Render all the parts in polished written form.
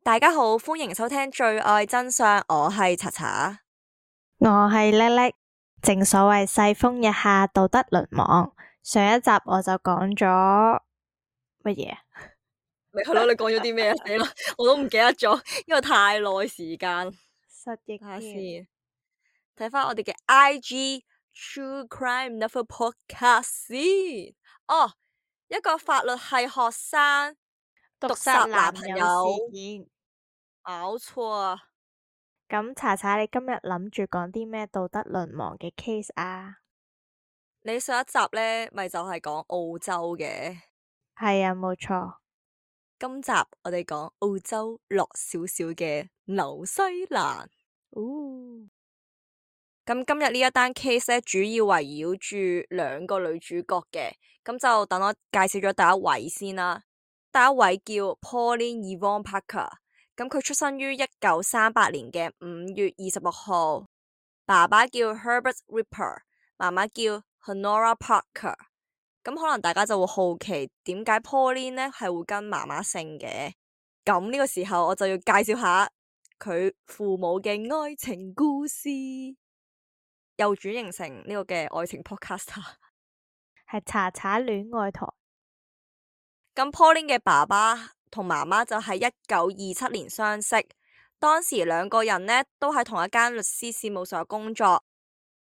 大家好，歡迎收聽最愛真相，我係查查，我係叻叻。正所謂世風日下，道德淪亡。上一集我就講咗乜嘢？咪係咯，你講咗啲咩啊？死啦，我都唔記得咗，因為太耐時間。失憶睇下添。先，睇翻我哋嘅 IG True Crime Never Podcast 先。哦，一個法律系學生毒殺殺男朋男友友，事件。搞錯啊！咁查查，你今日諗住講啲咩道德淪亡嘅 case 啊？你上一集呢咪就係講澳洲嘅，係啊，冇錯。今集我哋講澳洲落少少嘅紐西蘭。哦，咁今日呢一單 case 咧，主要圍繞住兩個女主角嘅，咁就等我介紹咗第一位先啦。第一位叫 Pauline Yvonne Parker，咁佢出生於1938年嘅5月26號，爸爸叫 Herbert Ripper， 媽媽叫 Honora Parker。咁可能大家就會好奇點解 Pauline 呢係會跟媽媽姓嘅？咁呢個時候我就要介紹下佢父母嘅愛情故事。又轉型成呢個嘅愛情 podcaster，係查查戀愛台。咁 Pauline 嘅爸爸同媽媽就喺1927年相識，當時兩個人呢都喺同一間律師事務所工作。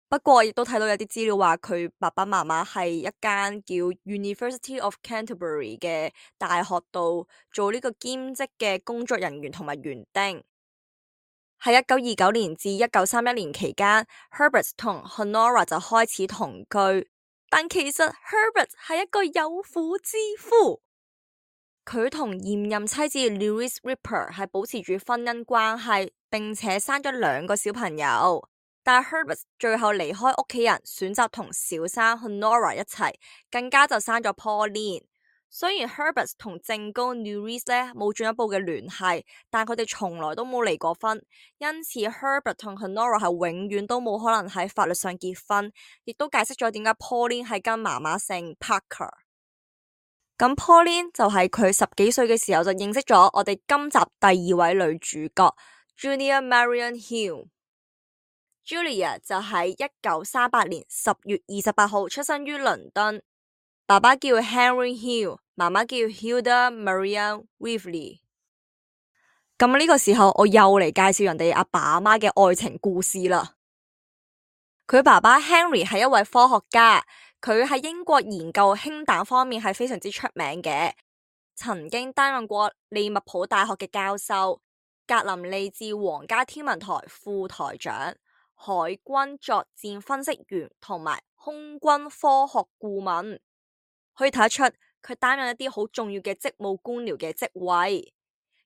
不過亦都睇到有啲資料話佢爸爸媽媽係一間叫 University of Canterbury 嘅大學度做呢個兼職嘅工作人員同埋園丁。喺1929年至1931年期間 Herbert 同 Honora 就開始同居，但其實 Herbert 係一個有婦之夫，佢同現任妻子 Louise Ripper 係保持住婚姻關係，並且生咗2個小朋友。但 Herbert 最後離開屋企人，選擇同小三 Honora 一齊，更加就生咗 Pauline。雖然 Herbert 同正宮 Louise 咧冇進一步嘅聯繫，但佢哋從來都冇離過婚，因此 Herbert 同 Honora 係永遠都冇可能喺法律上結婚，亦都解釋咗點解 Pauline 係跟媽媽姓 Parker。咁 Pauline 就係佢10幾歲嘅時候就認識咗我哋今集第2位女主角 Julia Marion Hill。Julia 就喺1938年10月28號出生於倫敦，爸爸叫 Henry Hill， 媽媽叫 Hilda Marian Weaveley。咁呢個時候我又嚟介紹人哋阿爸阿媽嘅愛情故事啦。佢爸爸 Henry 係一位科學家，佢喺英國研究氫彈方面係非常之出名嘅，曾經擔任過利物浦大學嘅教授、格林利治皇家天文台副台長、海軍作戰分析員同埋空軍科學顧問，可以睇得出佢擔任一啲好重要嘅職務官僚嘅職位。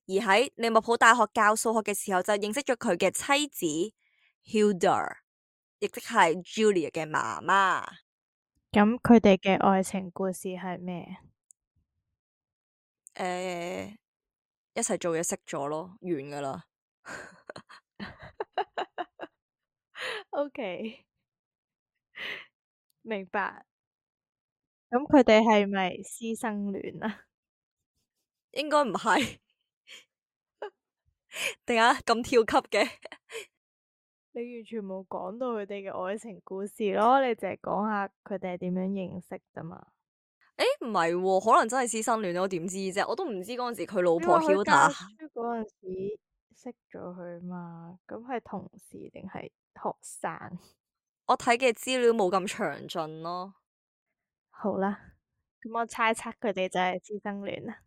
而喺利物浦大學教數學嘅時候，就認識咗佢嘅妻子 Hilda， 亦即係 Julia 嘅媽媽。咁佢哋嘅愛情故事係咩？一齊做嘢識咗咯，完噶啦。OK，明白。咁佢哋係咪師生戀啊？應該唔係，點解咁跳級嘅？你完全冇講到佢哋嘅愛情故事咯，你淨係講下佢哋係點樣認識咋嘛？唔係喎，可能真係師生戀，我點知啫？我都唔知嗰陣時佢老婆你話佢教 Hilda。書嗰陣時識咗佢嘛？咁係同事定係學生？我睇嘅資料冇咁詳盡咯。好啦，咁我猜測佢哋就係師生戀啦。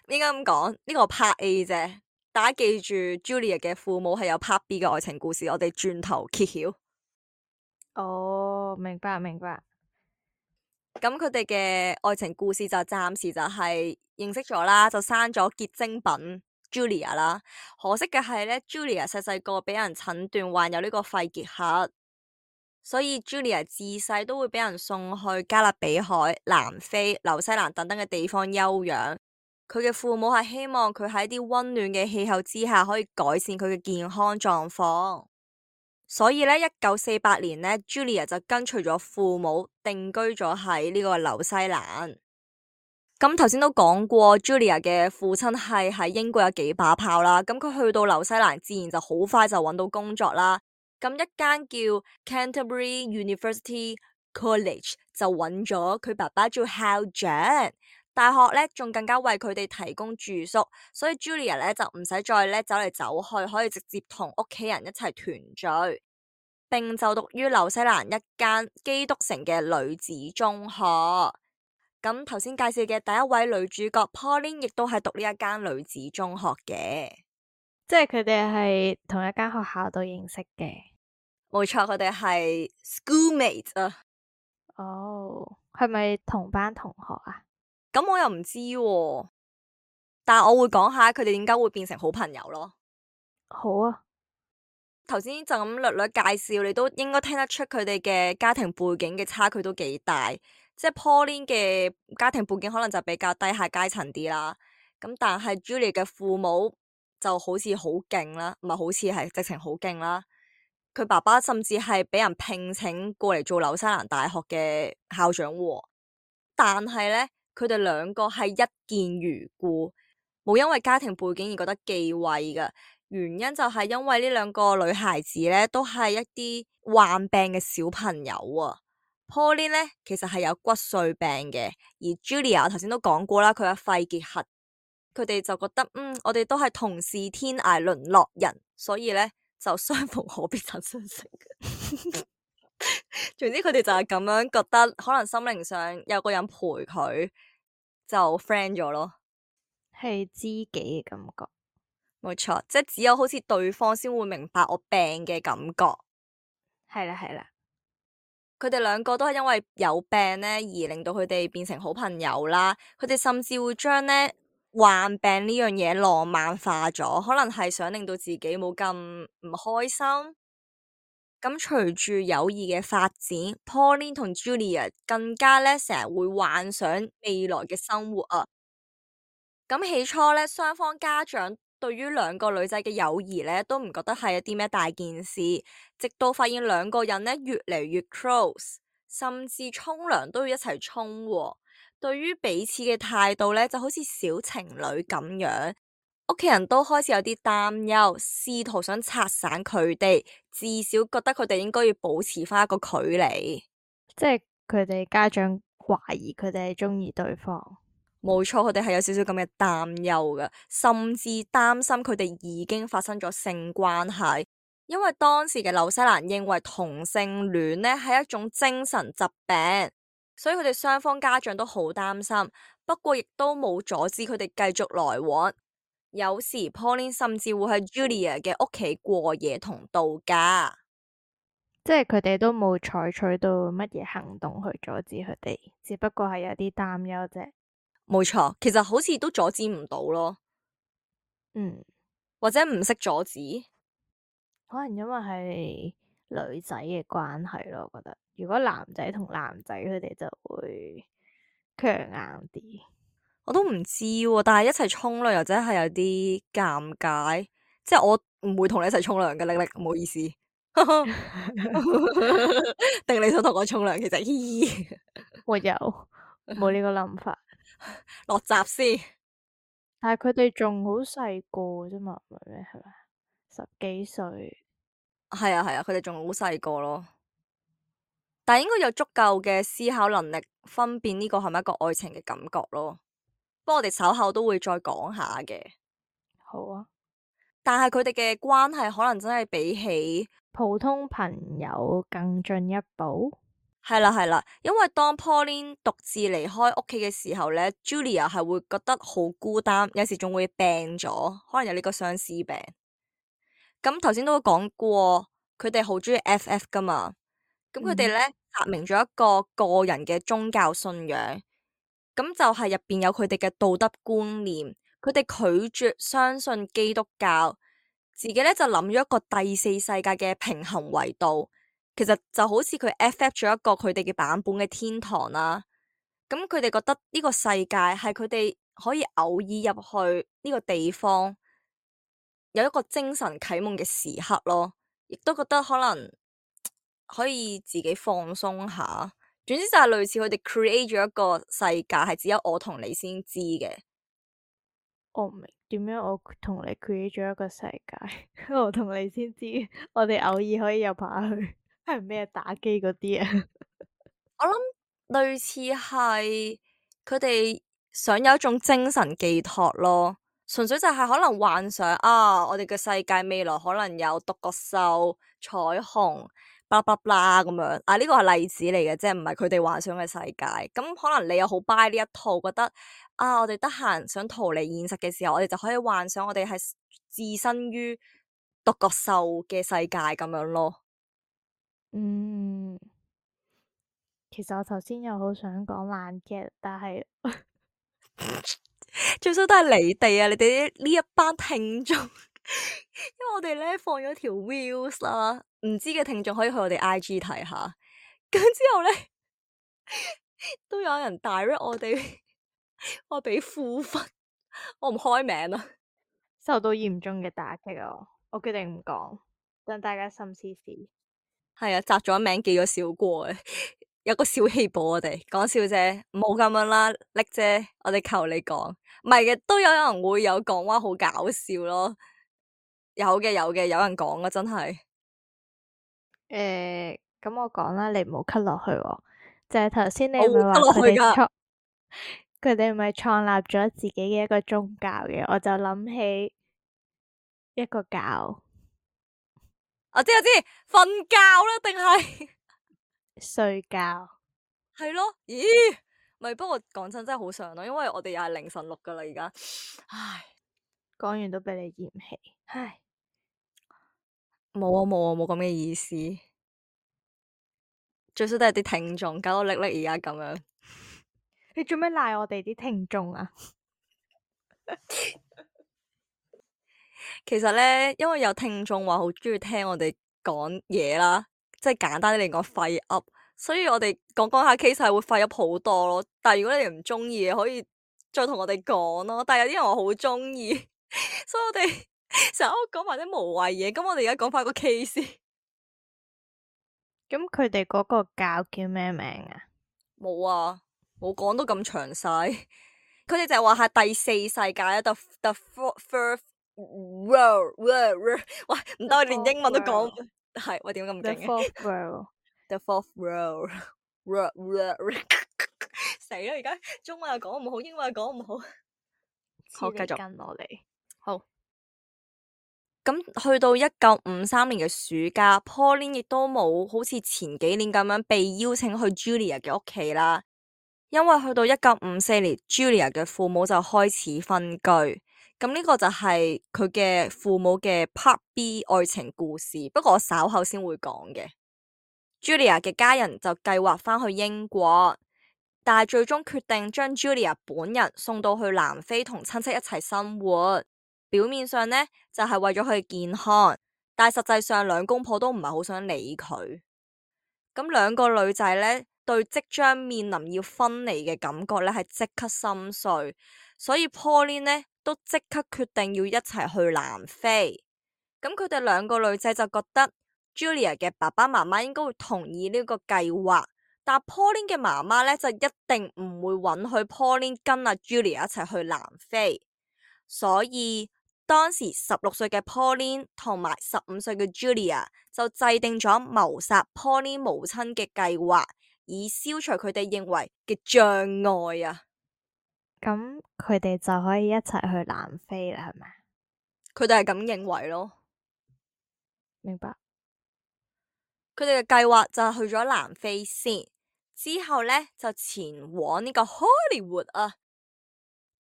應該咁講，呢個 Part A 啫。大家記住 Julia 嘅父母係有 Part B 嘅愛情故事，我哋轉頭揭曉。哦，明白明白。咁佢哋嘅愛情故事就暫時就係認識咗啦，就生咗結晶品 Julia 啦。可惜嘅係咧，Julia 細細個俾人診斷患有呢個肺結核，所以 Julia 自細都會俾人送去加勒比海、南非、紐西蘭等等嘅地方休養。佢嘅父母係希望佢喺啲溫暖嘅氣候之下可以改善佢嘅健康狀況，所以咧1948年咧 Julia 就跟隨咗父母定居咗喺呢個紐西蘭。咁頭先都講過 Julia 嘅父親係喺英國有幾把炮啦，咁佢去到紐西蘭自然就好快就揾到工作啦。咁一間叫 Canterbury University College 就揾咗佢爸爸做校長，大學咧仲更加為佢哋提供住宿，所以 Julia 咧就唔使再咧走嚟走去，可以直接同屋企人一齊團聚，並就讀於紐西蘭一間基督城嘅女子中學。咁頭先介紹嘅第一位女主角 Pauline 亦都係讀呢一間女子中學嘅，即係佢哋係同一間學校度認識嘅。冇錯，佢哋係 schoolmates 啊。哦，係咪同班同學啊？咁我又唔知喎，但係我會講下佢哋點解會變成好朋友咯。好啊，頭先就咁略略介紹，你都應該聽得出佢哋嘅家庭背景嘅差距都幾大。即係 Pauline 嘅家庭背景可能就比較低下階層啲啦，咁但係 Julia 嘅父母就好似好勁啦，唔係好似係直情好勁啦。佢爸爸甚至係俾人聘請過嚟做紐西蘭大學嘅校長喎，但係咧佢哋兩個係一見如故，冇因為家庭背景而覺得忌諱嘅。原因就係因為呢兩個女孩子咧都係一啲患病嘅小朋友啊。Pauline 咧其實係有骨髓病嘅，而 Julia 頭先都講過啦，佢有肺結核，佢哋就覺得我哋都係同是天涯淪落人，所以咧就相逢何必曾相識。總之佢哋就係咁樣覺得，可能心靈上有個人陪佢就 friend 咗咯，係知己嘅感覺。冇錯，即係只有好似對方先會明白我病嘅感覺。係啦係啦。佢哋兩個都係因為有病咧，而令到佢哋變成好朋友啦。佢哋甚至會將咧患病呢樣嘢浪漫化咗，可能係想令到自己冇咁唔開心。咁隨住友誼嘅發展，Pauline 同 Julia 更加咧成日會幻想未來嘅生活啊。咁起初咧，雙方家長對於兩個女仔嘅友誼咧，都唔覺得係一啲咩大件事，直到發現兩個人咧越嚟越 close，甚至沖涼都要一齊沖喎。對於彼此嘅態度咧，就好似小情侶咁樣，屋企人都開始有啲擔憂，試圖想拆散佢哋，至少覺得佢哋應該要保持翻一個距離。即係佢哋家長懷疑佢哋係中意對方。冇錯，佢哋係有少少咁嘅擔憂嘅，甚至擔心佢哋已經發生咗性關係，因為當時嘅紐西蘭認為同性戀呢係一種精神疾病，所以佢哋雙方家長都好擔心。不過亦都冇阻止佢哋繼續來往，有時 Pauline 甚至會喺 Julia 嘅屋企過夜同度假。即係佢哋都冇採取到乜嘢行動去阻止佢哋，只不過係有啲擔憂啫。冇錯，其實好似都阻止唔到咯，或者唔識阻止。可能因為係女仔嘅關係咯，我覺得如果男仔同男仔佢哋就會強硬啲。我都唔知喎，但係一齊沖涼又真係有啲尷尬，即係我唔會同你一齊沖涼嘅，力力唔好意思。定你想同我沖涼？其實嘻嘻，我有冇呢個諗法？落閘先。但係佢哋仲好細個啫嘛，唔係咩？係咪10幾歲？係啊係啊，佢哋仲好細個咯，但係應該有足夠嘅思考能力，分辨呢個係咪一個愛情嘅感覺咯。不過我哋稍後都會再講下嘅。好啊，但係佢哋嘅關係可能真係比起普通朋友更進一步。係啦係啦，因為當 Pauline 獨自離開屋企嘅時候咧，Julia 係會覺得好孤單，有時仲會病咗，可能有呢個相思病。咁頭先都講過，佢哋好中意 FF 噶嘛，咁佢哋咧發明咗一個個人嘅宗教信仰，咁就係入邊有佢哋嘅道德觀念，佢哋拒絕相信基督教，自己咧就諗咗一個第四世界嘅平衡維度。其實就好似佢 FF 咗一個佢哋嘅版本嘅天堂啦，咁佢哋覺得呢個世界係佢哋可以偶爾入去呢個地方，有一個精神啟蒙嘅時刻咯，亦都覺得可能可以自己放鬆下，總之就係類似佢哋 create 咗一個世界，係只有我同你先知嘅。我唔明點樣我同你 create 咗一個世界，我同你先知，我哋偶爾可以入下去，係咩打機嗰啲啊？我諗類似係佢哋想有一種精神寄託咯，純粹就係可能幻想啊，我哋嘅世界未來可能有獨角獸、彩虹、巴拉巴拉咁樣啊，呢個係例子嚟嘅，即係唔係佢哋幻想嘅世界。咁可能你又好 buy 呢一套，覺得啊，我哋得閒想逃離現實嘅時候，我哋就可以幻想我哋係置身於獨角獸嘅世界咁樣咯。嗯，其實我頭先又好想講爛 get，但係最衰都係你哋啊！你哋呢一班聽眾，因為我哋咧放咗條 views 啦，唔知嘅聽眾可以去我哋 IG 睇下。咁之後咧，都有人 direct 我哋，我俾負分，我唔開名啦。受到嚴重嘅打擊啊！我決定唔講，等大家心思思。係啊，摘咗名記咗小過嘅，有個小氣補我哋，講笑啫，唔好咁樣啦，叻姐，我哋求你講，唔係嘅，都有人會有講話好搞笑咯，有嘅有嘅，有人講啊，真係。咁我講啦，你唔好 cut 落去喎。就係頭先你我會咪話得落去噶。佢哋咪創立咗自己嘅一個宗教嘅，我就諗起一個教我知，瞓覺啦，定係睡覺。係咯？咦，咪不過講真真係好想咯，因為我哋又係凌晨錄噶啦，而家，唉，講完都俾你嫌棄，唉，冇咁嘅意思，最衰都係啲聽眾搞到叻叻而家咁樣。你做咩賴我哋啲聽眾啊？其實咧，因為有聽眾話好中意聽我哋講嘢啦，即係簡單啲嚟講廢噏，所以我哋講下 case 係會廢噏好多咯。但係如果你哋唔中意嘅，可以再同我哋講咯。但係有啲人話好中意，所以我哋成日都講埋啲無謂嘢。咁我哋而家講翻個 case，咁佢哋嗰個教叫咩名啊？冇啊，冇講到咁詳細。佢哋就係話係第四世界，the first world，喂，唔得，我連英文都講，係喂點解咁 The 勁嘅 fourth world， ？The fourth world，死啦！而家中文又講唔好，英文又講唔好。好，繼續跟我哋。好。咁去到1953年嘅暑假，Pauline 亦都冇好似前幾年咁樣被邀請去 Julia 嘅屋企啦。因為去到1954年，Julia 嘅父母就開始分居。咁呢個就係佢嘅父母嘅 Part B 愛情故事，不過我稍後先會講嘅。Julia 嘅家人就計劃返去英國，但係最終決定將 Julia 本人送到去南非同親戚一齊生活。表面上呢，就係為咗佢健康，但係實際上兩公婆都唔係好想理佢。咁兩個女仔呢，對即將面臨要分離嘅感覺呢，係即刻心碎，所以 Pauline 呢都即刻決定要一齊去南非。咁佢哋兩個女仔就覺得 Julia 嘅爸爸媽媽應該會同意呢個計劃，但 Pauline 嘅媽媽呢，就一定唔會允許 Pauline 跟阿 Julia 一齊去南非，所以當時16歲嘅 Pauline 同埋15歲嘅 Julia 就制定咗謀殺 Pauline 母親嘅計劃，以消除佢哋認為嘅障礙啊！咁佢哋就可以一齊去南非啦，係咪？佢哋係咁認為咯。明白。佢哋嘅計劃就係去咗南非先，之後呢就前往呢個 Hollywood 啊。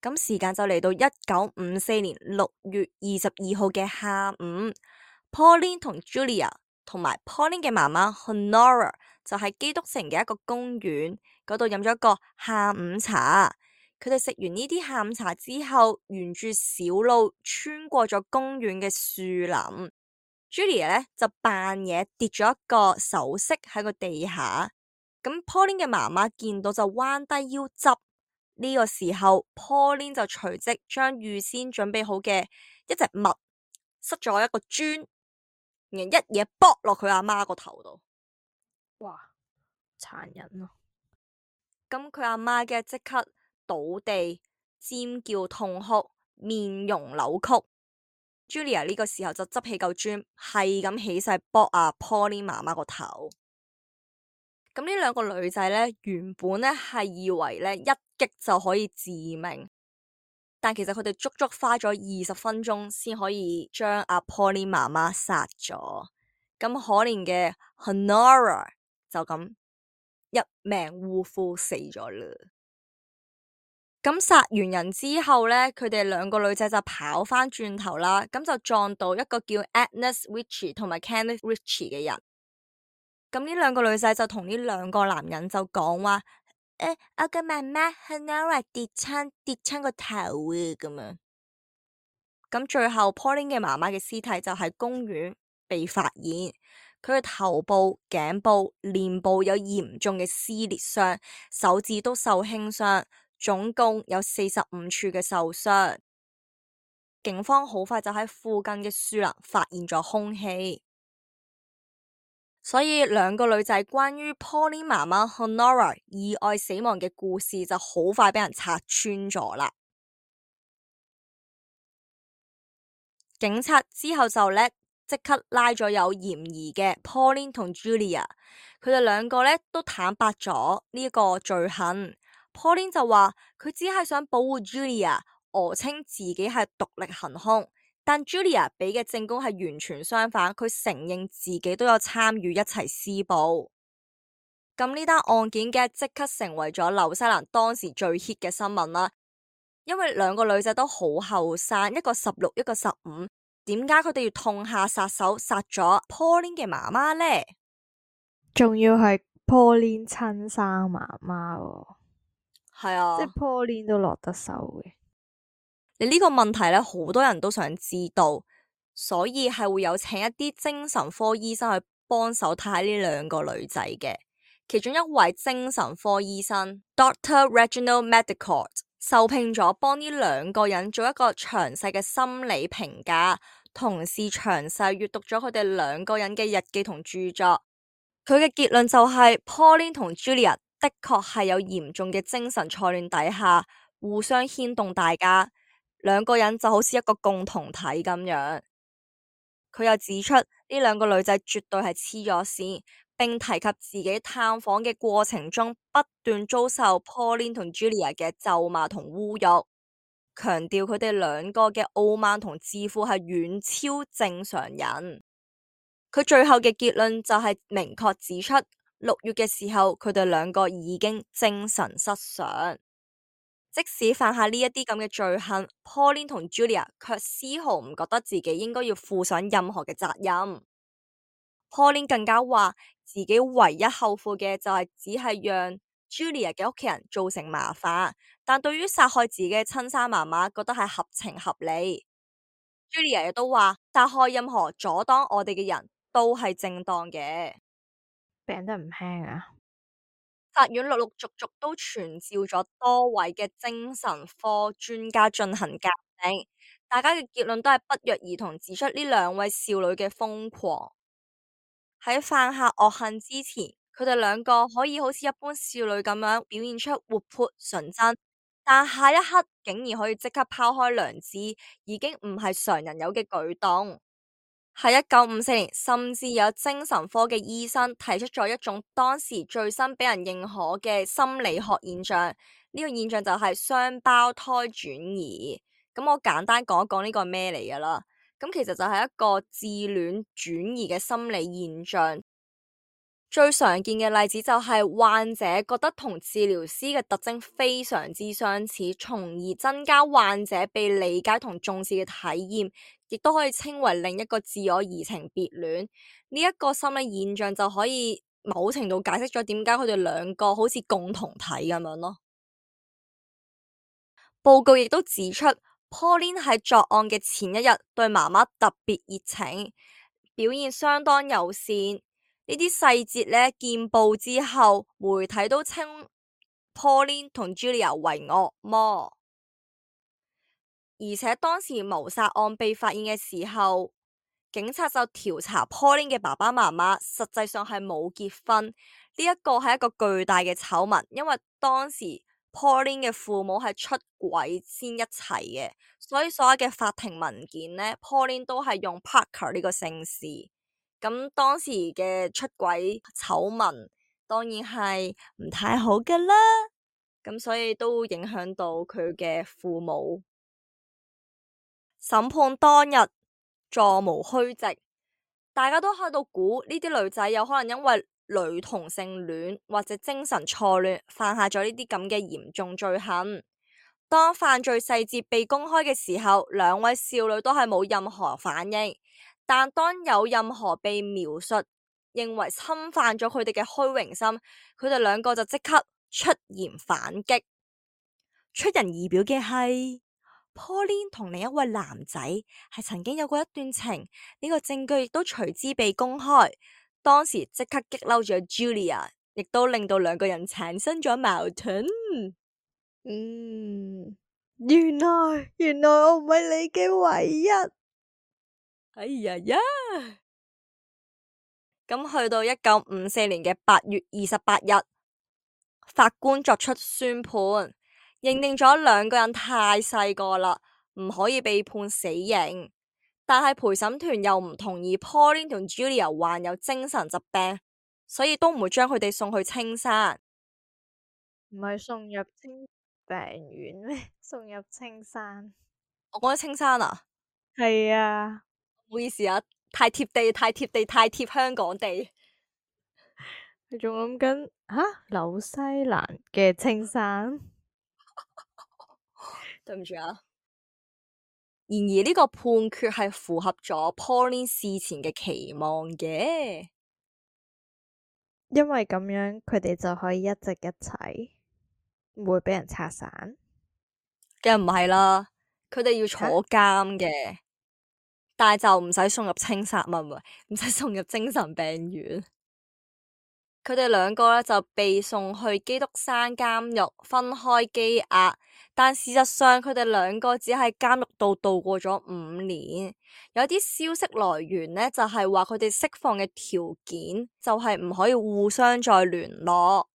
咁時間就嚟到1954年6月22號嘅下午，Pauline 同 Julia 同埋 Pauline 嘅媽媽 Honora 就喺基督城嘅一個公園嗰度飲咗一個下午茶。佢哋食完呢啲下午茶之後，沿住小路穿過咗公園嘅樹林。Julia 呢就扮嘢跌咗一個首飾喺個地下，咁 Pauline 嘅媽媽見到就彎低腰執。呢個時候 Pauline 就隨即將預先準備好嘅一隻襪塞咗一個磚，然後一嘢剝落佢阿媽個頭度。哇，殘忍咯！咁佢阿媽嘅即刻倒地、尖叫痛哭、面容扭曲。Julia 呢個時候就執起嚿磚，係咁起勢搏阿 Pauline 媽媽個頭。咁呢兩個女仔呢，原本呢係以為呢一擊就可以致命，但其實佢哋足足花咗20分鐘先可以將阿 Pauline 媽媽殺咗。咁可憐嘅 Honora 就咁一命嗚呼死咗啦。咁殺完人之後呢，佢哋兩個女仔就跑翻轉頭啦，咁就撞到一個叫 Agnes Ritchie 同埋 Kenneth Ritchie 嘅人。咁呢兩個女仔就同呢兩個男人就講話，我嘅媽媽 Honora 跌親個頭啊咁樣。咁最後 Pauline 嘅媽媽嘅屍體就喺公園被發現，佢嘅頭部、頸部、臉部有嚴重嘅撕裂傷，手指都受輕傷，總共有45處嘅受傷。警方好快就喺附近嘅樹林發現咗兇器，所以兩個女仔關於 Pauline 媽媽 Honora 意外死亡嘅故事就好快俾人拆穿咗啦。警察之後就即刻拉咗有嫌疑嘅 Pauline 同 Julia， 佢哋兩個都坦白咗呢個罪行。Pauline 就話佢只係想保護 Julia， 訛稱自己係獨力行兇，但 Julia 俾嘅證供係完全相反，佢承認自己都有參與一齊施暴。咁呢單案件嘅即刻成為咗紐西蘭當時最 hit 嘅新聞啦。因為兩個女仔都好後生，一個16，一個15，點解佢哋要痛下殺手殺咗 Pauline 嘅媽媽呢？仲要係 Pauline 親生媽媽喎，係啊，即係 Pauline 都落得手嘅。你呢個問題好多人都想知道，所以係會有請一啲精神科醫生去幫手睇下呢兩個女仔嘅。其中一位精神科醫生 Dr. Reginald Medicott 受聘咗幫呢兩個人做一個詳細嘅心理評價，同時詳細閱讀咗佢哋兩個人嘅日記同著作。佢嘅結論就係 Pauline 同 Julia 的確係有嚴重嘅精神錯亂底下，互相牽動大家，兩個人就好似一個共同體咁樣。佢又指出呢兩個女仔絕對係黐咗線，並提及自己探訪嘅過程中不斷遭受 Pauline 同 Julia 嘅咒罵同侮辱，強調佢哋兩個嘅傲慢同自負係遠超正常人。佢最後嘅結論就係明確指出，6月嘅時候佢哋兩個已經精神失常。即使犯下呢一啲咁嘅罪行，Pauline 同 Julia 卻絲毫唔覺得自己應該要負上任何嘅責任。Pauline 更加話自己唯一後悔嘅就係只係讓 Julia 嘅屋企人造成麻煩，但對於殺害自己嘅親生媽媽覺得係合情合理。Julia 亦都話殺害任何阻擋我哋嘅人都係正當嘅。病得唔輕啊！法院陸陸續續都傳召咗多位嘅精神科專家進行鑑定，大家嘅結論都係不約而同指出呢兩位少女嘅瘋狂。喺犯下惡行之前，佢哋兩個可以好似一般少女咁樣表現出活潑純真，但下一刻竟然可以即刻拋開良知，已經唔係常人有嘅舉動。喺1954年，甚至有精神科嘅醫生提出咗一種當時最新俾人認可嘅心理學現象，呢個現象就係雙胞胎轉移。咁我簡單講一講呢個係咩嚟噶啦。咁其實就係一個自戀轉移嘅心理現象。最常見嘅例子就係患者覺得同治療師嘅特徵非常之相似，從而增加患者被理解同重視嘅體驗，亦都可以稱為另一個自我移情別戀。呢一個心理現象就可以某程度解釋咗點解佢哋兩個好似共同體咁樣咯。報告亦都指出，Pauline 喺作案嘅前一日對媽媽特別熱情，表現相當友善。呢啲細節見報之後，媒體都稱 Pauline 同 Julia 為惡魔。而且當時謀殺案被發現嘅時候，警察就調查 Pauline 嘅爸爸媽媽實際上係冇結婚。呢一個係一個巨大嘅醜聞，因為當時 Pauline 嘅父母係出軌先一齊嘅，所以所有嘅法庭文件呢 Pauline 都係用 Parker 呢個姓氏。咁當時嘅出軌醜聞當然係唔太好㗎啦，咁所以都影響到佢嘅父母。審判當日座無虛席，大家都喺度估呢啲女仔有可能因為女同性戀或者精神錯亂犯下咗呢啲咁嘅嚴重罪行。當犯罪細節被公開嘅時候，兩位少女都係冇任何反應，但當有任何被描述認為侵犯咗佢哋嘅虛榮心，佢哋兩個就即刻出言反擊。出人意表嘅係Pauline 同另一位男仔係曾經有過一段情，呢個證據亦都隨之被公開。當時即刻激嬲咗 Julia， 亦都令到兩個人產生咗矛盾。原來我唔係你嘅唯一。哎呀呀！咁去到1954年嘅8月28日，法官作出宣判，認定咗兩個人太細個啦，唔可以被判死刑。但係陪審團又唔同意 Pauline 同 Julia 患有精神疾病，所以都唔會將佢哋送去青山。唔係送入精病院咩？送入青山。我講咗青山啊？係啊，唔好意思啊，太貼地，太貼地，太貼香港地。你仲諗緊紐西蘭嘅青山？對唔住啊。然而呢個判決係符合咗 Pauline 事前嘅期望嘅，因為咁樣佢哋就可以一直一齊，唔會畀人拆散。梗唔係啦，佢哋要坐監嘅，但係就唔使送入青山，唔使送入精神病院。佢哋兩個咧就被送去基督山監獄分開羈押，但事實上佢哋兩個只喺監獄度度過咗5年。有啲消息來源呢，就係話佢哋釋放嘅條件就係唔可以互相再聯絡，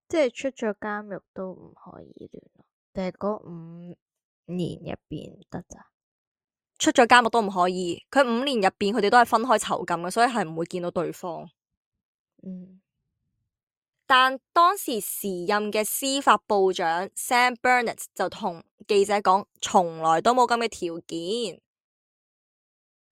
即係出咗監獄都唔可以聯絡，定係嗰5年入邊得咋？出咗監獄都唔可以。佢5年入邊佢哋都係分開囚禁嘅，所以係唔會見到對方。但當時時任嘅司法部長 Sam Burnett 就同記者講，從來都冇咁嘅條件。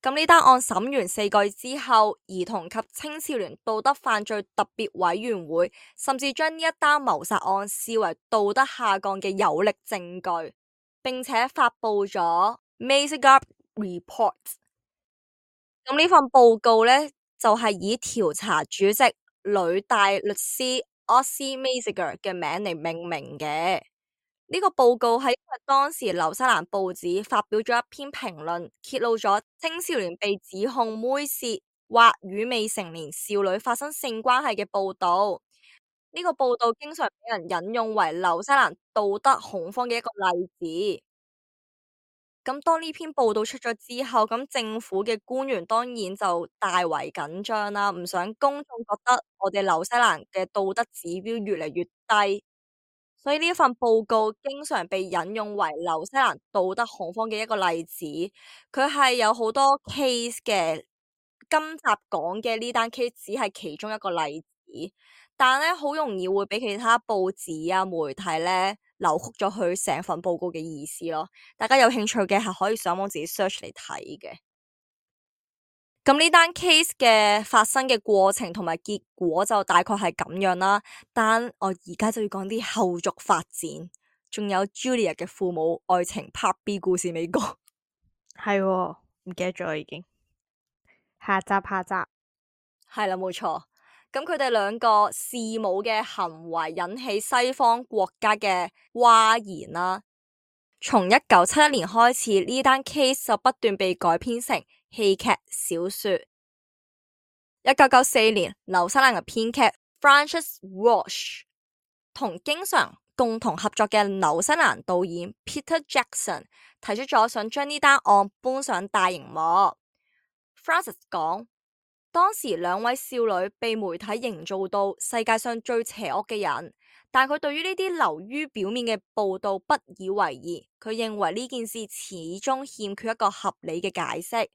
咁呢單案審完4個月之後，兒童及青少年道德犯罪特別委員會甚至將呢一單謀殺案視為道德下降嘅有力證據，並且發佈咗 Mazigar Report。咁呢份報告呢，就係以調查主席女大律師 Ossie Mazigar 嘅名嚟命名嘅。呢個報告係因為當時紐西蘭報紙發表咗一篇評論，揭露咗青少年被指控猥褻或與未成年少女發生性關係嘅報道。呢個報道經常俾人引用為紐西蘭道德恐慌嘅一個例子。咁當呢篇報道出咗之後，咁政府嘅官員當然就大為緊張啦，唔想公眾覺得我哋紐西蘭嘅道德指標越嚟越低，所以呢份報告經常被引用為紐西蘭道德恐慌嘅一個例子。佢係有好多 case 嘅，今集講嘅呢單 case 只係其中一個例子，但係咧好容易會俾其他報紙啊媒體咧扭曲咗佢成份報告嘅意思咯。大家有興趣嘅係可以上網自己 search 嚟睇嘅。咁呢單 case 嘅發生嘅過程同埋結果就大概係咁樣啦。但我而家就要講啲後續發展，仲有 Julia 嘅父母愛情 Part B 故事未講。係喎，唔記得咗已經。下集係啦，冇錯。咁佢哋兩個弒母嘅行為引起西方國家嘅譁然啦。從1971年開始，呢單 case 就不斷被改編成戲劇、小說。1994年，紐西蘭嘅編劇 Francis Walsh 同經常共同合作嘅紐西蘭導演 Peter Jackson 提出咗想將呢單案搬上大熒幕。Francis 講，當時兩位少女被媒體營造到世界上最邪惡嘅人，但佢對於呢啲流於表面嘅報道不以為意，佢認為呢件事始終欠缺一個合理嘅解釋，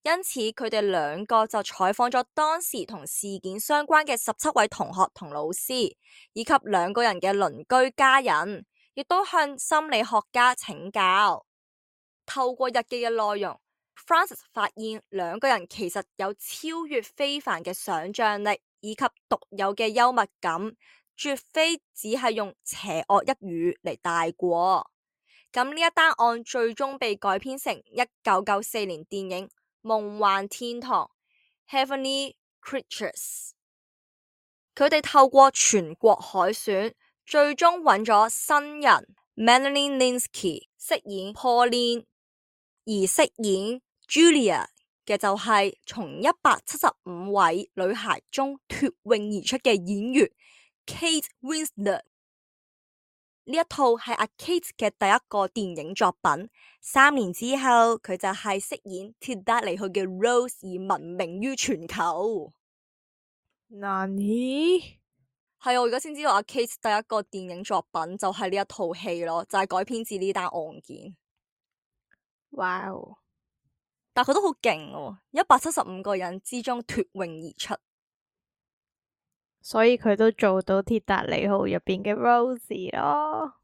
因此佢哋兩個就採訪咗當時同事件相關嘅17位同學同老師，以及兩個人嘅鄰居家人，亦都向心理學家請教。透過日記嘅內容，Frances 發現兩個人其實有超越非凡嘅想像力以及獨有嘅幽默感，絕非只係用邪惡一語嚟帶過。咁呢一單案最終被改編成1994年電影《夢幻天堂》（Heavenly Creatures）。佢哋透過全國海選，最終揾咗新人 Melanie Lynskey 飾演 Pauline， 而飾演 Julia 嘅就係從175位女孩中脫穎而出嘅演員 Kate Winslet。呢一套係阿 Kate 嘅第一個電影作品，3年之後佢就係飾演鐵達尼號嘅 Rose 而聞名於全球。Nani？係我而家先知道阿 Kate 第一個電影作品就係呢一套戲咯，就係改編自呢單案件。哇哦！但佢都好勁喎，175個人之中脫穎而出，所以佢都做到鐵達尼號入邊嘅 Rosie 咯。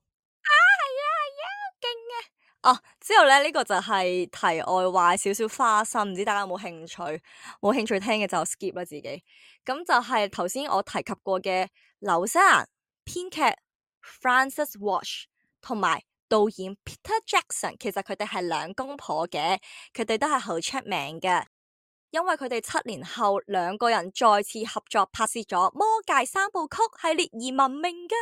之後咧呢個就係題外話，少少花生，唔知大家有冇興趣？冇興趣聽嘅就 skip 啦自己。咁就係頭先我提及過嘅紐西蘭編劇 Frances Walsh 同埋導演 Peter Jackson， 其實佢哋係兩公婆嘅，佢哋都係好出名嘅，因為佢哋7年後兩個人再次合作拍攝咗《魔戒3部曲》系列而聞名噶。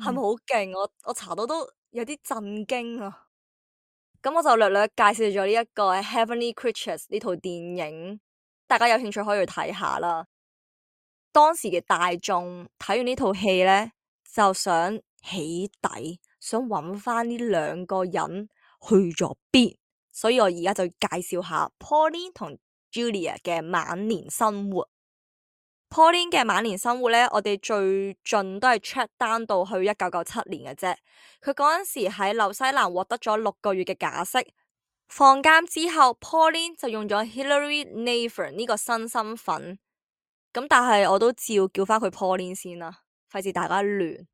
係咪好勁？我查到都有啲震驚啊！咁我就略略介紹咗呢一個 Heavenly Creatures 呢套電影，大家有興趣可以去睇下啦。當時嘅大眾睇完呢套戲呢，就想起底，想揾翻呢兩個人去咗邊，所以我而家就介紹下 Pauline 同 Julia 嘅晚年生活。Pauline 嘅晚年生活呢，我哋最盡都係 check down 到去1997年嘅啫。佢嗰陣時喺紐西蘭獲得咗6個月嘅假釋，放監之後，Pauline 就用咗 Hilary Nathan 呢個新身份。咁但係我都照叫翻佢 Pauline 先啦，費事大家亂。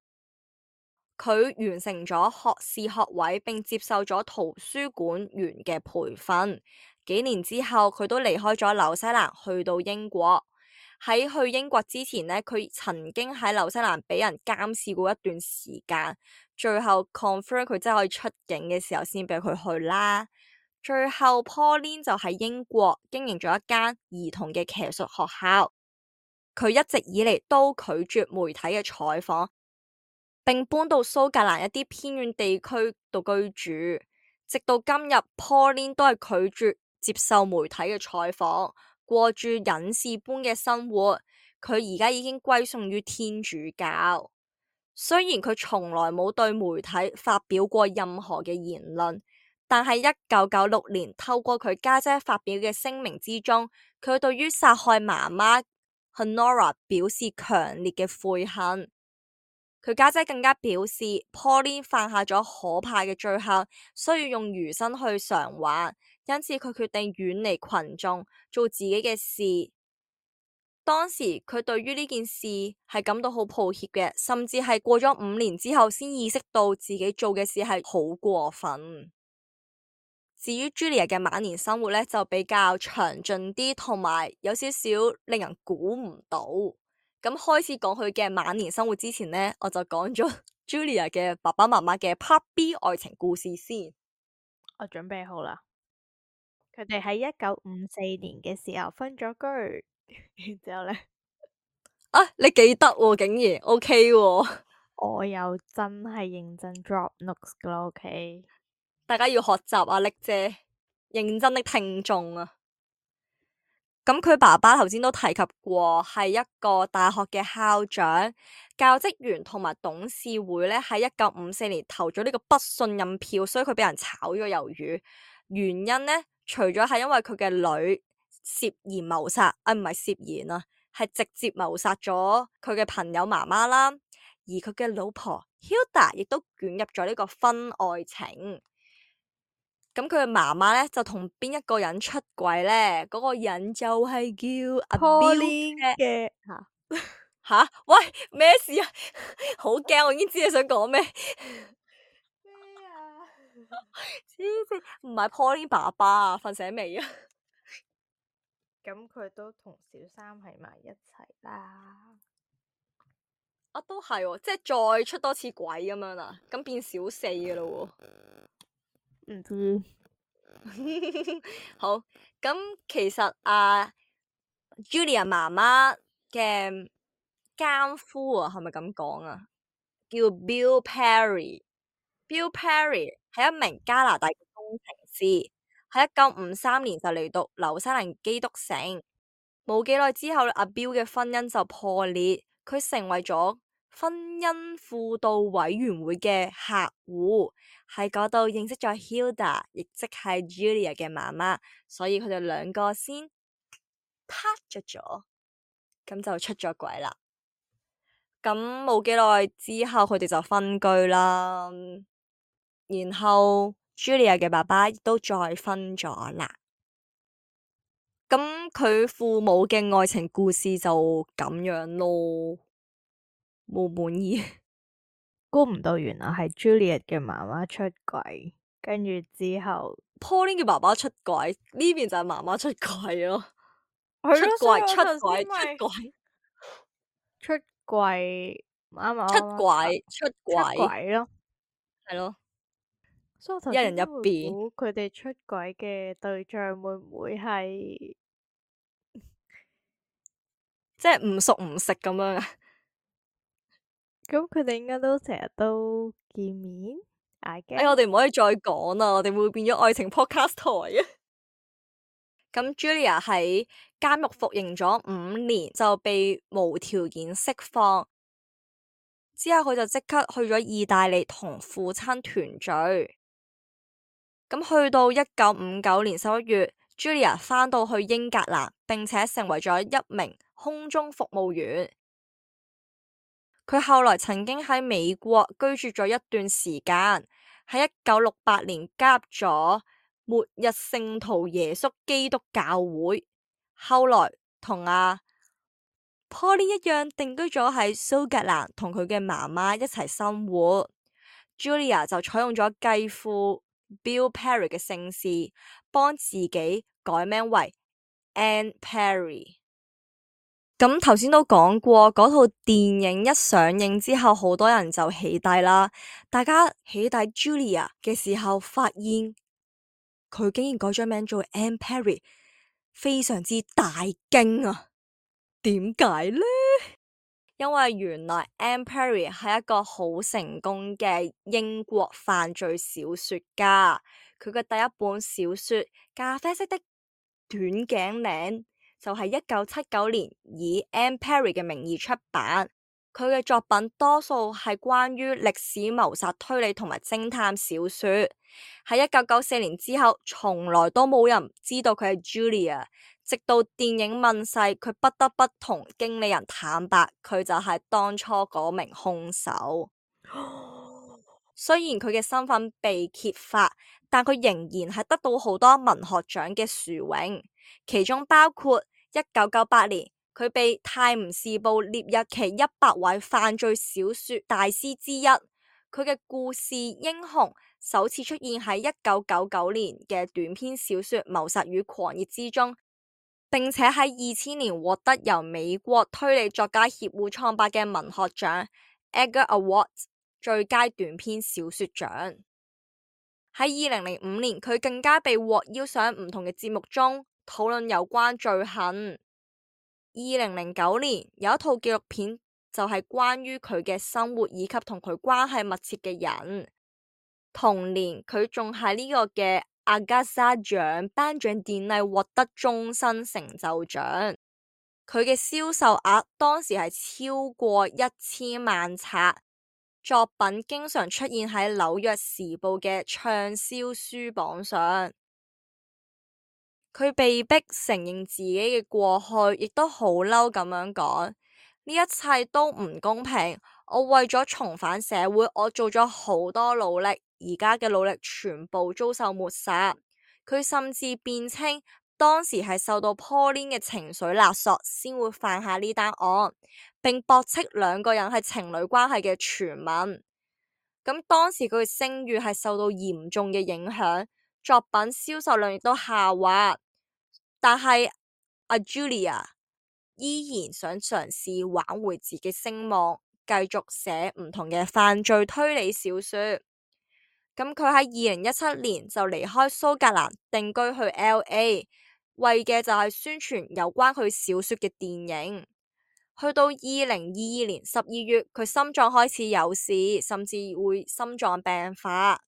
佢完成咗學士學位，並接受咗圖書館員嘅培訓。幾年之後，佢都離開咗紐西蘭，去到英國。喺去英國之前呢，佢曾經喺紐西蘭俾人監視過一段時間，最後 confirm 佢真係可以出境嘅時候，先俾佢去啦。最後 Pauline 就喺英國經營咗一間兒童嘅騎術學校。佢一直以嚟都拒絕媒體嘅採訪，並搬到蘇格蘭一啲偏遠地區度居住。直到今日 Pauline 都係拒絕接受媒體嘅採訪，過住隱士般嘅生活。佢而家已經歸順於天主教。雖然佢從來冇對媒體發表過任何嘅言論，但係1996年透過佢家姐發表嘅聲明之中，佢對於殺害媽媽 Honora 表示強烈嘅悔恨。佢家姐更加表示 Pauline 犯下咗可怕嘅罪行，需要用餘生去償還，因此佢決定遠離群眾，做自己嘅事。當時佢對於呢件事係感到好抱歉嘅，甚至係過咗5年之後先意識到自己做嘅事係好過分。至於 Julia 嘅晚年生活呢，就比較詳盡啲，同埋有少少令人估唔到。咁開始講佢嘅晚年生活之前呢，我就講咗 Julia 嘅爸爸媽媽嘅 Part B 愛情故事先。我準備好啦。佢哋喺1954年嘅時候分咗居，然之後呢，你記得喎，竟然 OK 喎。我又真係認真 drop notes 噶啦，OK。大家要學習啊，力姐，認真的聽眾啊。咁佢爸爸頭先都提及過，係一個大學嘅校長、教職員同埋董事會咧，喺1954年投咗呢個不信任票，所以佢俾人炒咗魷魚。原因呢，除咗係因為佢嘅女涉嫌謀殺，唔係涉嫌啊，係直接謀殺咗佢嘅朋友媽媽啦，而佢嘅老婆 Hilda 亦都捲入咗呢個婚外情。咁佢嘅媽媽咧就同邊一個人出軌咧？嗰個人就係叫阿 Pauline Bill 嘅吓，喂，咩事啊？好驚，我已經知你想講咩。咩啊？黐線，唔係 Pauline 爸爸啊，瞓醒未啊？咁佢都同小三喺埋一齊啦。啊，都係喎，即係再出多次軌咁樣啦，咁變小四嘅咯喎。唔知好，咁其實Julia 媽媽嘅奸夫啊，係咪咁講啊？叫 Bill Perry。Bill Perry 係一名加拿大嘅工程師，喺1953年就嚟到紐西蘭基督城。冇幾耐之後，阿 Bill 嘅婚姻就破裂，佢成為咗婚姻輔導委員會嘅客戶，喺嗰度認識咗 Hilda，亦即係 Julia 嘅媽媽，所以佢哋兩個先拍咗，咁就出咗軌啦。咁冇幾耐之後，佢哋就分居啦。然後 Julia 嘅爸爸亦都再婚咗啦。咁佢父母嘅愛情故事就咁樣咯，冇滿意。估唔到原來係 Juliet 嘅媽媽出軌，跟住之後 Pauline 嘅爸爸出軌，呢邊就係媽媽出軌咯。係咯，出軌，出軌，出軌，出軌，啱啱出軌，出出軌，軌咯。係咯，所以我頭一人一先都會邊，估佢哋出軌嘅對象會唔會係即係唔熟唔食咁樣啊。咁？佢哋應該都成日都見面，I 哎，我 guess。哋唔可以再講啦，我哋會變咗愛情 podcast 台嘅。咁 Julia 喺監獄服刑咗5年，就被無條件釋放。之後佢就即刻去咗意大利同父親團聚。咁去到1959年11月，Julia 返到去英格蘭，並且成為咗一名空中服務員。佢後來曾經喺美國居住咗一段時間，喺1968年加入咗末日聖徒耶穌基督教會，後來同Pauline 一樣定居咗喺蘇格蘭，同佢嘅媽媽一齊生活。Julia 就採用咗繼父 Bill Perry 嘅姓氏，幫自己改名為 Anne Perry。咁頭先都講過，嗰套電影一上映之後，好多人就起底啦。大家起底 Julia 嘅時候，發現佢竟然改咗名做 Anne Perry，非常之大驚啊！點解呢？因為原來 Anne Perry 係一個好成功嘅英國犯罪小說家，佢嘅第一本小說《咖啡色的短頸領》就係1979年以 Anne Perry 嘅名義出版。佢嘅作品多數係關於歷史謀殺推理同埋偵探小說。喺1994年之後，從來都冇人知道佢係 Julia。直到電影問世，佢不得不同經理人坦白，佢就係當初嗰名兇手。雖然佢嘅身份被揭發，但佢仍然係得到好多文學獎嘅殊榮，其中包括1998年佢被《泰晤士報》列入其100位犯罪小說大師之一。佢嘅故事英雄首次出現喺1999年嘅短篇小說《謀殺與狂熱》之中。並且喺2000年獲得由美國推理作家協會創辦嘅文學獎 Edgar Award 最佳短篇小說獎。喺2005年，佢更加被獲邀上唔同嘅節目中討論有關罪行。2009年有一套紀錄片就係關於佢嘅生活以及同佢關係密切嘅人。同年佢仲喺呢個嘅阿加莎獎頒獎典禮獲得終身成就獎，佢嘅銷售額當時係超過1000萬冊，作品經常出現喺紐約時報嘅暢銷書榜上。佢被逼承認自己嘅過去，亦都好嬲咁樣講：呢一切都唔公平。我為咗重返社會，我做咗好多努力，而家嘅努力全部遭受抹殺。佢甚至辯稱當時係受到 Pauline 嘅情緒勒索，先會犯下呢單案，並駁斥兩個人係情侶關係嘅傳聞。咁當時佢嘅聲譽係受到嚴重嘅影響，作品銷售量亦都下滑。但係阿 Julia 依然想嘗試挽回自己聲望，繼續寫唔同嘅犯罪推理小說。咁佢喺2017年就離開蘇格蘭定居去 LA，為嘅就係宣傳有關佢小說嘅電影。去到2022年12月，佢心臟開始有事，甚至會心臟病發。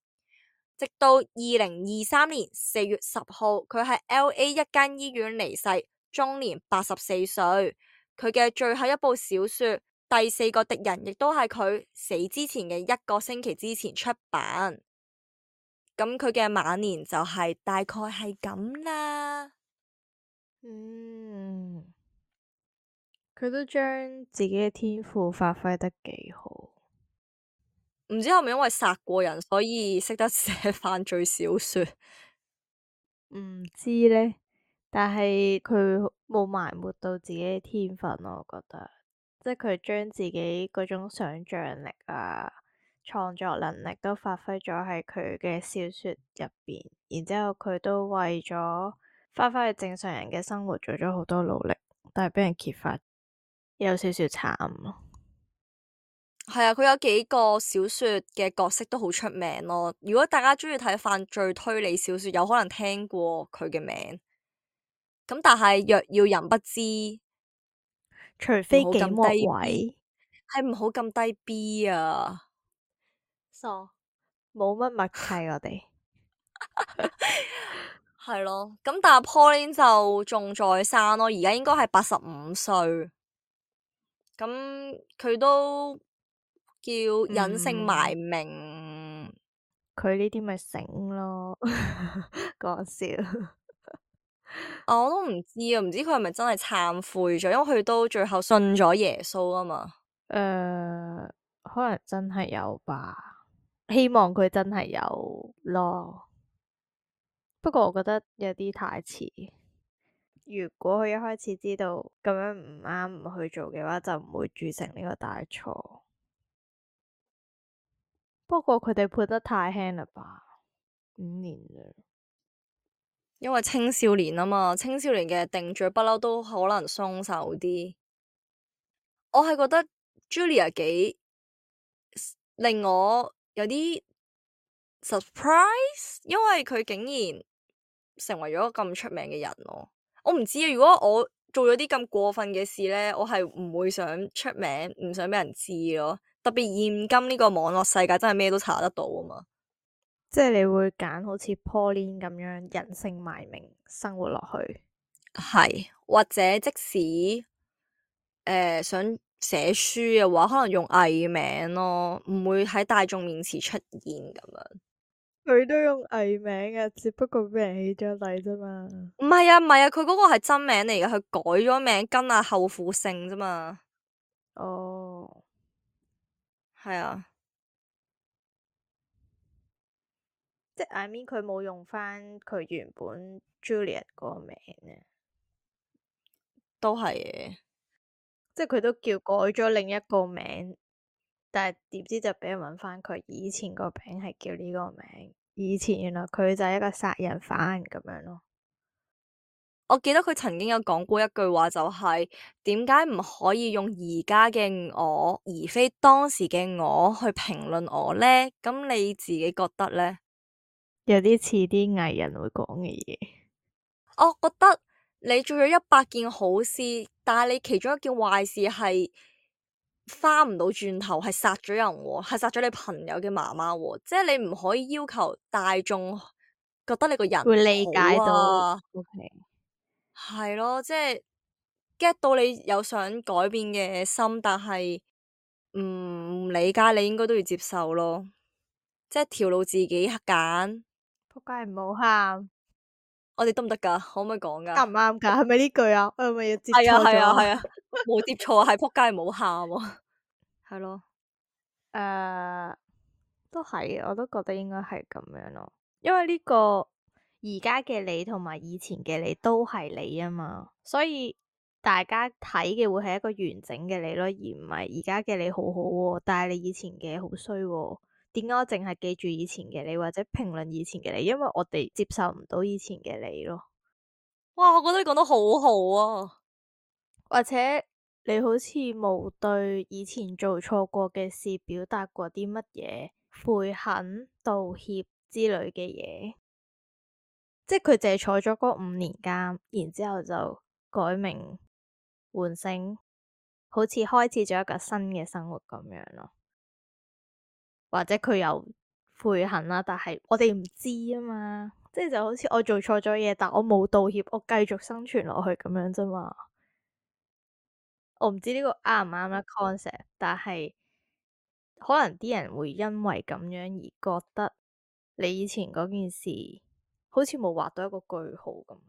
直到2023年4月10號，佢喺 LA 一間醫院離世，終年84歲。佢嘅最後一部小說《第四個敵人》亦都係佢死之前嘅1個星期之前出版。咁佢嘅晚年就係大概係咁啦。佢都將自己嘅天賦發揮得幾好。唔知係咪因為殺過人，所以識得寫犯罪小說？唔知呢，但係佢冇埋沒到自己嘅天分咯，我覺得，即係佢將自己嗰種想像力啊、創作能力都發揮咗喺佢嘅小說入邊，然之後佢都為咗翻返去正常人嘅生活做咗好多努力，但係俾人揭發，有少少慘咯。係啊，佢有幾個小說嘅角色都好出名咯。如果大家中意睇犯罪推理小說，有可能聽過佢嘅名。咁但係若要人不知，除唔好咁非幾莫低 B，位，係唔好咁低 B 啊！傻，冇乜默契我哋。係咯，咁但係 Pauline 就仲在生咯，而家應該係85歲。咁佢都叫隱姓埋名。佢呢啲咪醒咯，講笑。我都唔知啊，唔知佢係咪真係懺悔咗，因為佢都最後信咗耶穌啊嘛。可能真係有吧，希望佢真係有咯。不過我覺得有啲太遲。如果佢一開始知道咁樣唔啱唔去做嘅話，就唔會鑄成呢個大錯。不過佢哋判得太輕啦吧，5年啫。因為青少年啊嘛，青少年嘅定罪不嬲都可能鬆手啲。我係覺得 Julia 幾令我有啲 surprise，因為佢竟然成為咗咁出名嘅人咯。我唔知啊，如果我做咗啲咁過分嘅事呢，我係唔會想出名，唔想俾人知咯。特別現今呢個網絡世界真係咩都查得到啊嘛。即係你會揀好似 Pauline 咁樣隱姓埋名生活落去，係，或者即使想寫書嘅話，可能用藝名咯，唔會喺大眾面前出現咁樣。佢都用藝名啊，只不過俾人起咗底啫嘛。唔係啊，唔係啊，佢嗰個係真名嚟嘅，佢改咗名跟阿後父姓啫嘛。哦，係啊，即係 I mean 佢冇用翻佢原本 Juliet 嗰個名咧，都係嘅。即係佢都叫改咗另一個名，但係點知就俾人揾翻佢以前個名係叫呢個名，以前原來佢就係一個殺人犯咁樣咯。我記得佢曾經有講過一句話，就係點解唔可以用而家嘅我，而非當時嘅我去評論我呢？咁你自己覺得呢？有啲似啲藝人會講嘅嘢。我覺得你做咗100件好事，但係你其中一件壞事係翻唔到轉頭，係殺咗人喎，係殺咗你朋友嘅媽媽喎，即係你唔可以要求大眾覺得你個人會理解好到啊。 ，OK，係咯，即係 get 到你有想改變嘅心，但係唔理解，你應該都要接受咯，即係條路自己揀。仆街唔好喊。我哋得唔得噶？可唔可以講噶？啱唔啱㗎？係咪呢句啊？我係咪要接係啊錯咗啊？係啊係啊，冇接錯，係仆街唔好喊喎。係咯，都係，我都覺得應該係咁樣咯。因為呢個而家嘅你同埋以前嘅你都係你啊嘛，所以大家睇嘅會係一個完整嘅你咯，而唔係而家嘅你好好喎，但係你以前嘅好衰喎。點解我淨係記住以前嘅你或者評論以前嘅你？因為我哋接受唔到以前嘅你咯。哇！我覺得你講得好好啊。或者你好似冇對以前做錯過嘅事表達過啲乜嘢悔恨、道歉之類嘅嘢，即係佢淨係坐咗嗰5年監，然之後就改名換姓，好似開始咗一個新嘅生活咁樣咯。或者佢有悔恨啦，但係我哋唔知啊嘛，即係就好似我做錯咗嘢，但我冇道歉，我繼續生存落去咁樣啫嘛。我唔知呢個啱唔啱啦 concept，但係可能啲人會因為咁樣而覺得你以前嗰件事好似冇畫到一個句號咁，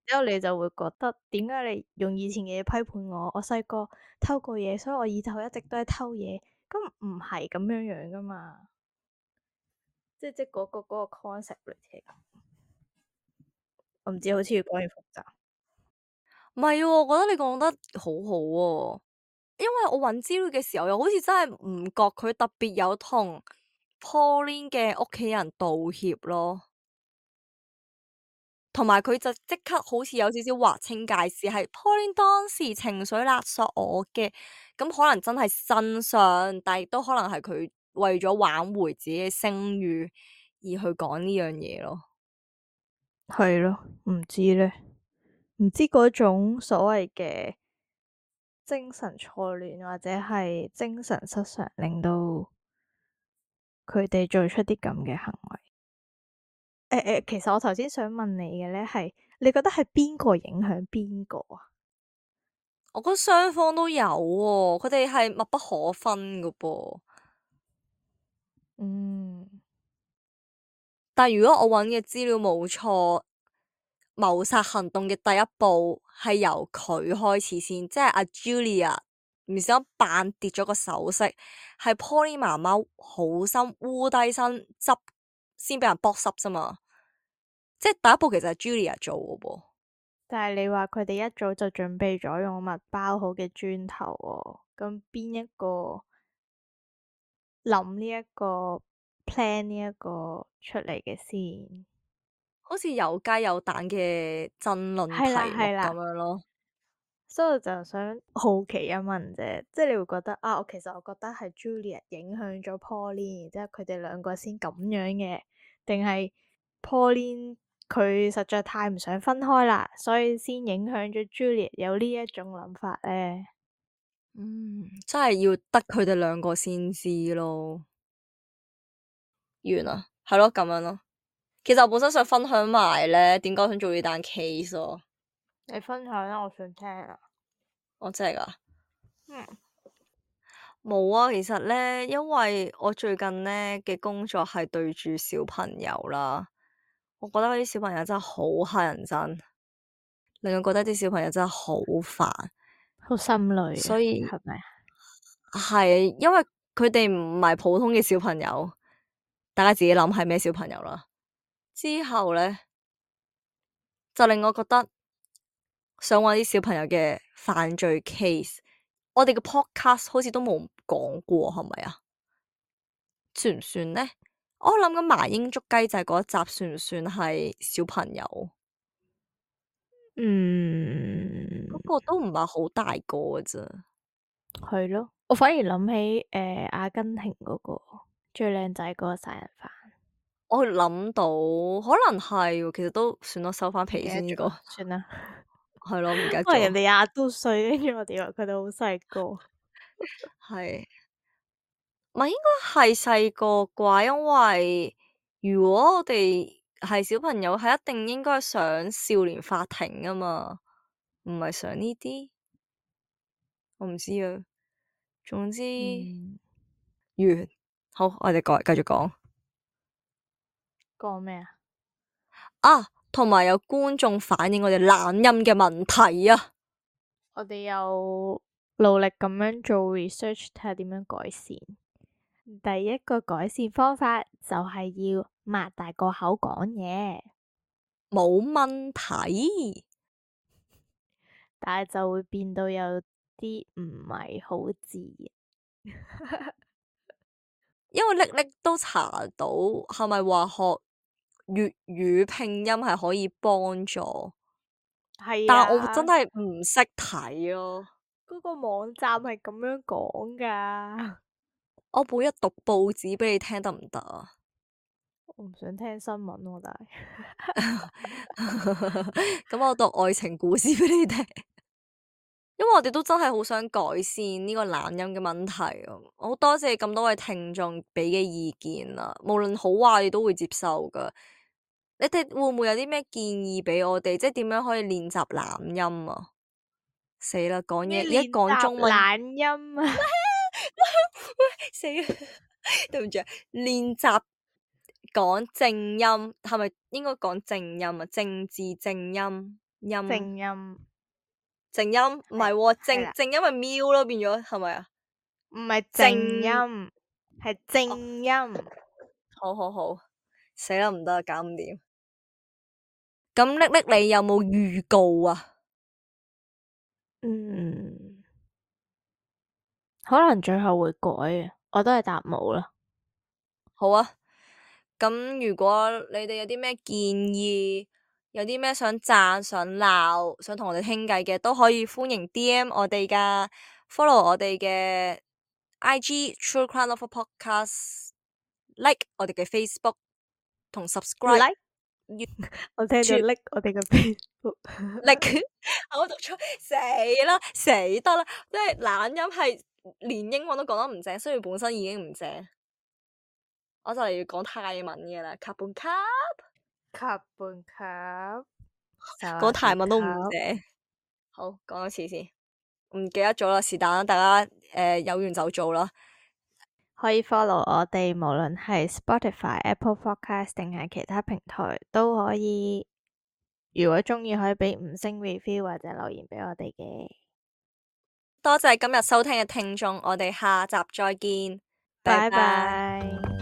之後你就會覺得點解你用以前嘅嘢批判我？我細個偷過嘢，所以我以後一直都係偷嘢，咁唔係咁樣樣噶嘛？即嗰個 concept 嚟嘅，我唔知，好似越講越複雜。唔係喎，我覺得你講得好好喎，因為我揾資料嘅時候，又好似真係唔覺佢特別有同 Pauline 嘅屋企人道歉咯，同埋佢就即刻好似有少少劃清界線，係 Pauline 當時情緒勒索我嘅，咁可能真係真相，但亦都可能係佢為咗挽回自己嘅聲譽而去講呢樣嘢咯。係咯，唔知咧，唔知嗰種所謂嘅精神錯亂或者係精神失常，令到佢哋做出啲咁嘅行為。其實我頭先想問你嘅咧係，你覺得係邊個影響邊個啊？我覺得雙方都有喎，佢哋係密不可分噶噃。嗯，但如果我揾嘅資料冇錯，謀殺行動嘅第一步係由佢開始先，即係阿 Julia 唔小心扮跌咗個首飾，係 Pauline 媽媽好心烏低身執，先俾人剝濕啫嘛。即係第一步其實係 Julia 做嘅噃。但係你話佢哋一早就準備咗用物包好嘅磚頭喎，咁邊一個諗呢一個 plan 呢一個出嚟嘅先？好似有雞有蛋嘅爭論係啦題目咁係啦。樣咯。所以我就想好奇一問啫，即係你會覺得啊，我覺得係 Juliet 影響咗 Pauline，即係佢哋兩個先咁樣嘅，定係 Pauline 佢實在太唔想分開啦，所以先影響咗 Juliet 有呢一種諗法咧？真係要得佢哋兩個先知咯。完啦，係咯，咁樣咯。其實我本身想分享埋咧，點解我想做呢單 case 咯。你分享啦，我想聽啊。我真係噶。嗯，冇啊，其實咧，因為我最近咧嘅工作係對住小朋友啦，我覺得嗰啲小朋友真係好乞人憎，令我覺得啲小朋友真係好煩，好心累啊，所以係咪啊？係因為佢哋唔係普通嘅小朋友，大家自己諗係咩小朋友啦。之後咧就令我覺得想揾啲小朋友嘅犯罪 case，我哋嘅 podcast 好似都冇講過，係咪啊？算唔算呢？我諗緊麻鷹捉雞仔嗰一集算唔算係小朋友？嗯，嗰個都唔係好大個嘅啫。係咯，我反而諗起阿根廷嗰個最靚仔嗰個殺人犯。我諗到可能係，其實都算咯，收翻唔記得皮先呢個咗，算啦。係咯，唔記得因為人咗，哋廿多歲，跟住我哋話佢哋好細個。係咪應該係細個啩？因為如果我哋係小朋友，係一定應該上少年法庭啊嘛，唔係上呢啲，我唔知啊。總之嗯，完，好，我哋繼續講。講咩啊？啊，同埋有觀眾反映我哋懶音嘅問題啊。我哋又努力咁樣做 research，睇下點樣改善。第一個改善方法就係要擘大個口講嘢，冇問題，但係就會變到有啲唔係好自然。因為叻叻都查到係咪話學粵語拼音係可以幫助，係但我真啊，係唔識睇咯。嗰個網站係咁樣講㗎。我每日讀報紙俾你聽得唔得啊？我唔想聽新聞喎，但係咁我讀愛情故事俾你聽，因為我哋都真係好想改善呢個懶音嘅問題啊！我好多謝咁多位聽眾俾嘅意見啦，無論好壞，我哋都會接受噶。你哋會唔會有啲咩建議俾我哋？即係點樣可以練習懶音啊？死啦，講嘢而家咩練習講中文，懶音啊？死啦！對唔住啊，練習講正音係咪應該講正音啊？正字正音音正音正音唔係喎，係啦，正音咪喵咯，變咗係咪啊？唔係正正音，係正音。好好好，死啦唔得，搞唔掂。咁叻叻，你有冇預告啊？嗯，可能最後會改嘅，我都係答冇啦。好啊。咁如果你哋有啲咩建議，有啲咩想讚、想鬧、想同我哋傾偈嘅，都可以歡迎 DM 我哋噶，follow 我哋嘅 IG True Crime Lover Podcast，like 我哋嘅 Facebook 同 subscribe Like，我聽咗 YouTube like 我哋嘅 Facebook。like 我讀錯，死啦死得啦！即係懶音係連英文都講得唔正，雖然本身已經唔正，我就嚟要講泰文嘅啦，卡半卡。吸半吸，講泰文都唔正。好，講多次先，唔記得咗啦，是但啦，大家有緣就做啦。可以 follow 我哋，無論係 Spotify、Apple Podcast 定係其他平台都可以。如果鍾意，可以畀5星 review 或者留言畀我哋嘅。多謝今日收聽嘅聽眾，我哋下集再見，拜拜拜。拜。